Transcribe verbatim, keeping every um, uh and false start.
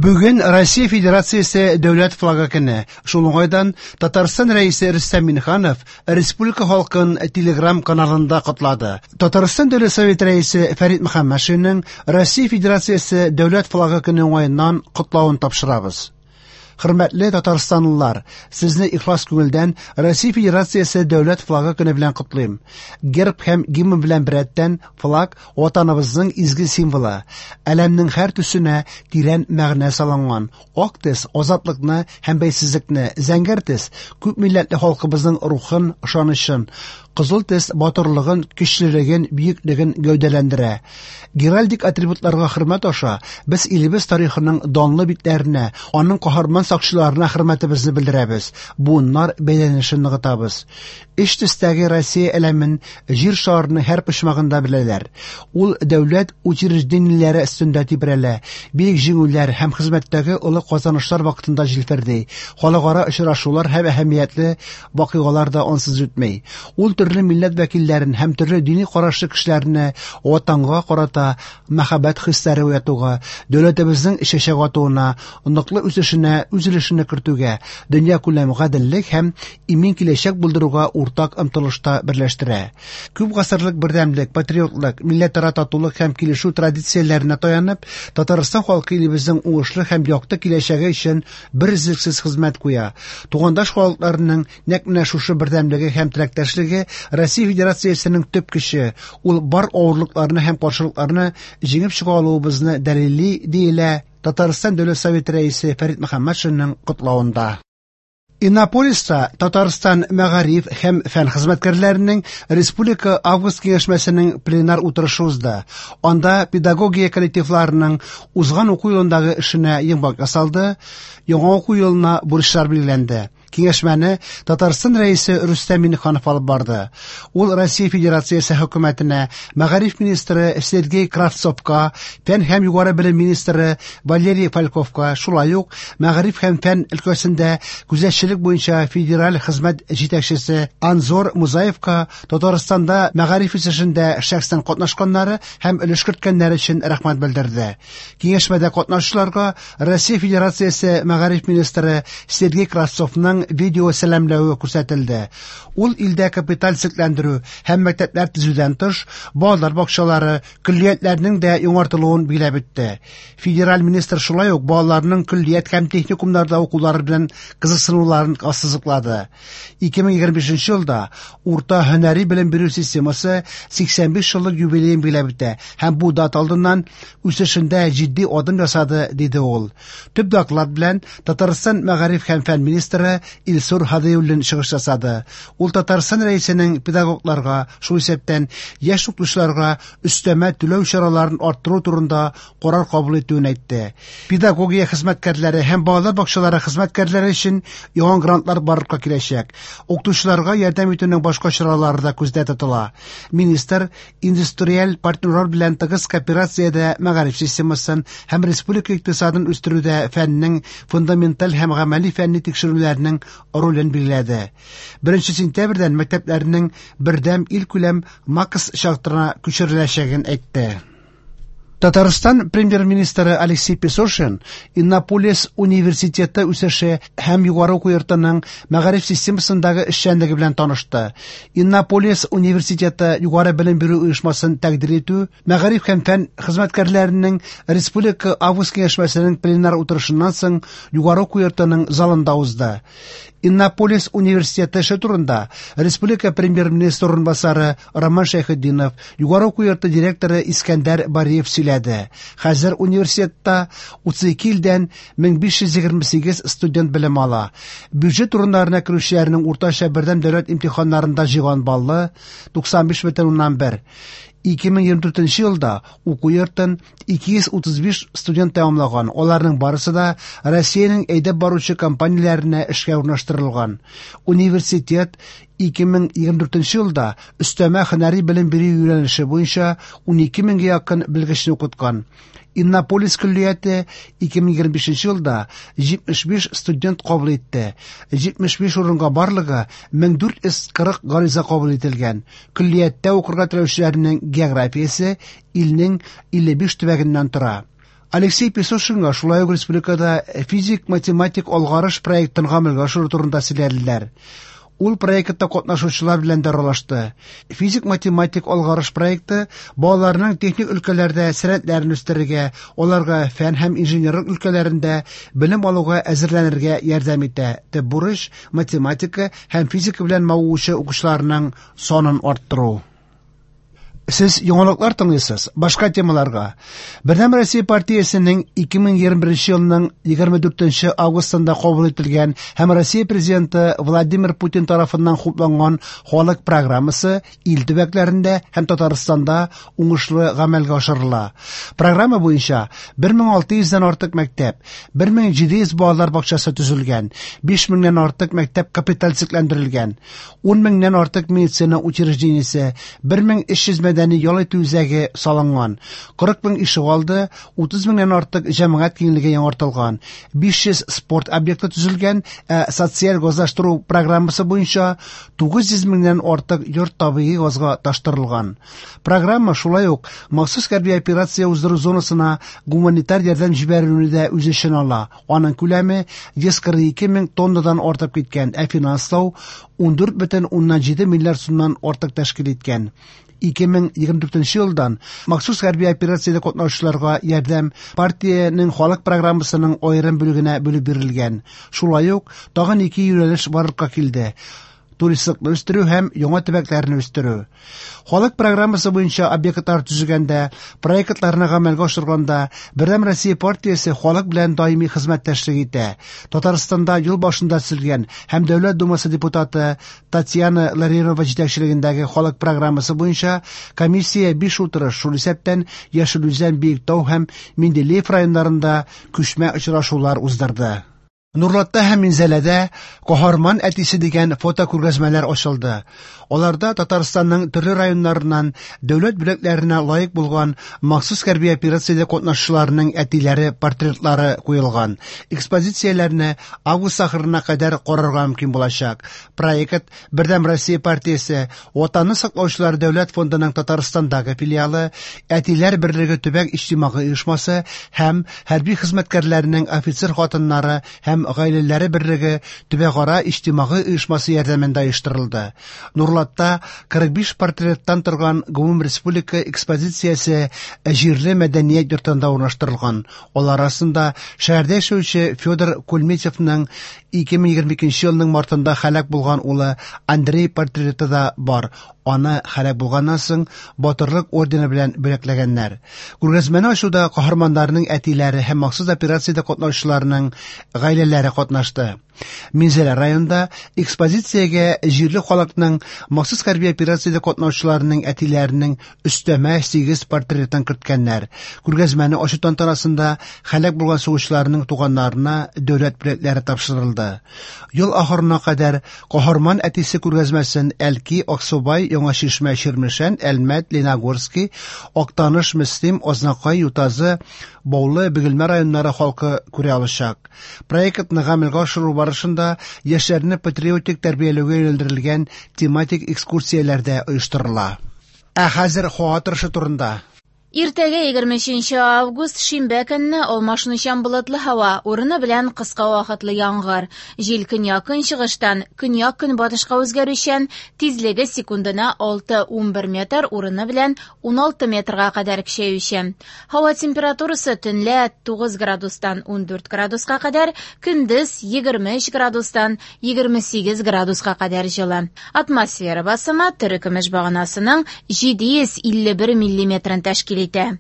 Бүген Россия Федерациясе Дәүләт флагы көне. Шул уңайдан Татарстан Рәисе Рөстәм Миңнеханов республика халкын Телеграм каналында котлады. Татарстан Дәүләт Советы Рәисе Фәрит Мөхәммәтшинның Россия Федерациясе Дәүләт флагы көне уңаеннан котлавын тапшырабыз. Хөрмәтле татарстанлылар, сезне ихлас күңелдән Россия Федерациясе Дәүләт флагы көне белән котлыйм. Герб һәм гимн белән беррәттән флаг ватаныбызның изге символы. Әләмнең һәр төсенә тирән мәгънә салынган. Ак төс азатлыкны һәм бәйсезлекне, зәңгәр төс күп милләтле халкыбызның рухын, ышанычын, кызыл төс батырлыгын, көчлелеген, бөеклеген гәүдәләндерә. Геральдик атрибутларга хөрмәт аша без илебез тарихының данлы битләренә, аның каһарман сакчыларына хөрмәтебезне белдерәбез, буыннар бәйләнешен ныгытабыз. Өч төстәге Россия әләмен җир шарының һәр почмагында беләләр. Ул дәүләт учреждениеләре өстендә тибрәлә, бөек җиңүләр һәм хезмәттәге олы казанышлар вакытында җилферди. Халыкара очрашулар һәм әһәмиятле вакыйгалар да ансыз үтми. Ул төрле милләт вәкилләрен һәм төрле дини карашлы кешеләрне ватанга карата мәхәббәт хисләре уятуга, дәүләтебезнең чәчәк атуына, ныклы үсешенә үз өлешен кертүгә, дөньякүләм гаделлек һәм имин киләчәк булдыруга уртак омтылышта берләштерә. Күп гасырлык бердәмлек, патриотлык, милләтара татулык һәм килешү традицияләренә таянып, Татарстан халкы илебезнең уңышлы һәм якты киләчәге өчен берөзлексез хезмәт куя. Тугандаш халыкларының нәкъ менә шушы бердәмлеге һәм теләктәшлеге Россия Федерациясенең төп көче. Ул бар авырлыкларны һәм каршылыкларны җиңеп чыга алуыбызны дәлилли, диелә Татарстан Дәүләт Советы Рәисе Фәрит Мөхәммәтшинның котлавында. Иннополиста Татарстан мәгариф һәм фән хезмәткәрләренең Республика август киңәшмәсенең пленар утырышы узды. Анда педагогия коллективларының узган уку елындагы эшенә йомгак ясалды, яңа уку елына бурычлар билгеләнде. Киңәшмәне Татарстан Рәисе Рөстәм Миңнеханов алып барды. Ул Россия Федерациясе хөкүмәтенә, мәгариф министры Сергей Кравцовка, фән һәм югары белем министры Валерий Фальковка, шулай ук мәгариф һәм фән өлкәсендә күзәтчелек буенча федераль хезмәт җитәкчесе Анзор Музаевка Татарстанда мәгариф үсешендә шәхсән катнашканнары һәм өлеш керткәннәре өчен рәхмәт белдерде. Киңәшмәдә катнашучыларга Россия Федерациясе мәгариф министры Сергей Кравцовның видео сәламләве күрсәтелде. Ул илдә капиталь төзекләндерү һәм мәктәпләр төзүдән тыш, балалар бакчалары, көллиятләрнең дә яңартылуын билгеләп үтте. Федераль министр шулай ук балаларның көллият һәм техникумнарда укулары белән кызыксынуларын ассызыклады. ике мең егерме бишенче елда урта һөнәри белем бирү системасы сиксән биш еллык юбилеен билгеләп үтә һәм бу дата алдыннан үсешендә җитди адым ясады, диде ул. Төп доклад белән Татарстан мәгариф һәм фән министры Илсур Һадиуллин чыгыш ясады. Ул Татарстан Рәисенең педагогларга, шул исәптән яшь укытучыларга өстәмә түләү чараларын арттыру турында карар кабул итүен әйтте. Педагогия хезмәткәрләре һәм балалар бакчалары хезмәткәрләре өчен яңа грантлар барлыкка киләчәк. Укытучыларга ярдәм итүнең башка чаралары да күздә тотыла. Министр индустриаль партнерлар белән тыгыз кооперациядә мәгариф системасын һәм республика икътисадын үстерүдә фәннең фундаменталь һәм гамәли фәнни тикшерүләрнең ролен билгеләде. Беренче сентябрьдән мәктәпләрнең бердәм илкүләм МАКС чартына күчереләчәген әйтте. Татарстан премьер-министры Алексей Песошин Иннополис университеты үсеше һәм югары уку йортының мәгариф системасындагы эшчәнлеге белән танышты. Иннополис университеты югары белем бирү оешмасын тәкъдир итү мәгариф һәм фән хезмәткәрләренең Республика август киңәшмәсенең пленар утырышыннан соң югары уку йортының залында узды. Иннополис университеты эше турында Республика премьер-министры урынбасары Роман Шәйхетдинов, югары уку йорты директоры Искәндәр Бариев сөйләде. Хәзер университетта утыз ике илдән мең биш йөз егерме сигез студент белем ала. Бюджет урыннарына керүчеләрнең уртача бердәм дәүләт имтиханнарында җыйган баллы туксан биш бөтен уннан бер. Ике мең егерме дүртенче елда уку йортын ике йөз утыз биш студент тәмамлаган. Аларның барысы да Россиянең әйдәп баручы компанияләренә эшкә урнаштырылган. Университет ике мең егерме дүртенче елда өстәмә һөнәри белем бирү юнәлеше буенча унике меңгә якын белгечне укыткан. Иннополис көллияте ике мең егерме бишенче елда җитмеш биш студент кабул итте. Җитмеш биш урынга барлыгы мең дүрт йөз кырык гариза кабул ителгән. Көллияттә укырга теләүчеләрнең географиясе илнең илле биш төбәгеннән тора. Алексей Песошинга шулай ук республикада физик-математик алгарыш проектын гамәлгә ашыру турында сөйләделәр. Ул проектта катнашучылар белән дә аралашты. Физик-математик алгарыш проекты балаларның техник өлкәләрдә сәләтләрен үстерергә, аларга фән һәм инженерлык өлкәләрендә белем алуга әзерләнергә ярдәм итә. Төп бурыч математика һәм физика белән мавыгучы укучыларның санын арттыру. Сез яңалыклар тыңлыйсыз. Башка темаларга. Бердәм Россия партиясенең ике мең егерме беренче елның егерме дүртенче августында кабул ителгән һәм Россия президенты Владимир Путин тарафыннан хупланган халык программасы ил төбәкләрендә һәм Татарстанда уңышлы гамәлгә ашырыла. Программа буенча бер мең алты йөздән артык мәктәп, бер мең җиде йөз балалар бакчасы төзелгән, биш меңнән артык мәктәп капитализацияләндерелгән, ун меңнән артык медицина учреждениесе, бер мең өч йөз мәдәни ял итү үзәге салынган, кырык мең ишегалды, утыз меңнән артык җәмәгать киңлеге яңартылган, биш йөз спорт объекты төзелгән, ә социаль газлаштыру программасы буенча тугыз йөз меңнән артык йорт табигый газга таштырылган. Программа шулай ук махсус хәрби операция уздыру зонасына гуманитар ярдәм җибәрүне дә үз эченә ала. Аның күләме йөз кырык ике мең тоннадан артып киткән, ә финанслау ундүрт бөтен уннан җиде миллиард сумнан артык тәшкил иткән. Ике мең егерме дүртенче елдан махсус хәрби операциядә катнашучыларга ярдәм партиянең халык программасының аерым бүлегенә бүлеп бирелгән. Шулай ук тагын ике юнәлеш барлыкка килде: туристлыкны үстерү һәм яңа төбәкләрне үстерү. Халык программасы буенча объектлар төзегәндә, проектларны гамәлгә ашырганда Бердәм Россия партиясе халык белән даими хезмәттәшлек итә. Татарстанда юл башында төзелгән һәм Дәүләт Думасы депутаты Татьяна Ларионова җитәкчелегендәге халык программасы буенча комиссия биш утырыш, шул исәптән Яшел Үзән, Биектау һәм Менделеев районнарында күчмә очрашулар уздырды. Нурлатта һәм Минзәләдә Каһарман әтисе дигән фото күргәзмәләр ачылды. Аларда Татарстанның төрле районнарыннан дәүләт бүләкләренә лаек булган махсус хәрби операциядә катнашучыларның әтиләре портретлары куелган. Экспозицияләрне август ахырына кадәр карарга мөмкин булачак. Проект Бердәм Россия партиясе Ватанны саклаучылар дәүләт фондының Татарстандагы филиалы, Әтиләр берлеге төбәк иҗтимагый оешмасы һәм хәрби хезмәткәрләрнең офицер хатыннары һәм гаиләләре берлеге төбәкара иҗтимагый оешмасы ярдәмендә оештырылды. Нурлатта кырык биш портреттан торган гомум республика экспозициясе җирле мәдәният йортында урнаштырылган. Алар арасында шәһәрдә яшәүче Федор Кульметьевның ике мең егерме икенче елның мартында һәлак булган улы Андрей портреты да бар. Аны һәлак булганнан соң Батырлык ордены белән бүләкләгәннәр. Күргәзмәне ачуда каһарманнарның әтиләре һәм махсус операциядә катнашучыларның гаиләләре катнашты. Минзәлә районында экспозициягә җирле халыкның махсус хәрби операциядә катнашучыларның әтиләренең өстәмә сигез портретын керткәннәр. Күргәзмәне ачу тантанасында һәлак булган сугышчыларның туганнарына дәүләт бүләкләре тапшырылды. Ел ахырына кадәр Каһарман әтисе күргәзмәсен Әлки, Аксубай, Яңа Чишмә, Чирмешән, Әлмәт, Лениногорский, Актаныш, Мөслим, Азнакай, Ютазы, Баулы, Бөгелмә районнары халкы күрә алачак. Проектны гамәлгә ашыру барышында яшьләрне патриотик тәрбияләүгә юнәлдерелгән тематик экскурсияләр дә оештырыла. Ә хәзер һава торышы турында. Иртәгә егерме өченче август шимбә көнне алмашынучан болытлы һава, урыны белән кыска вакытлы яңгыр. Җил көньяк-көнчыгыштан көньяк-көнбатышка үзгәрүчән, тизлеге секундына алты унбер метр, урыны белән уналты метрга кадәр көчәючән. Һава температурасы төнлә тугыз градустан ундүрт градуска кадәр, көндез егерме өч градустан егерме сигез градуска кадәр җылы. Атмосфера басымы терекөмеш баганасының җиде йөз илле бер миллиметрын тәшкил итә.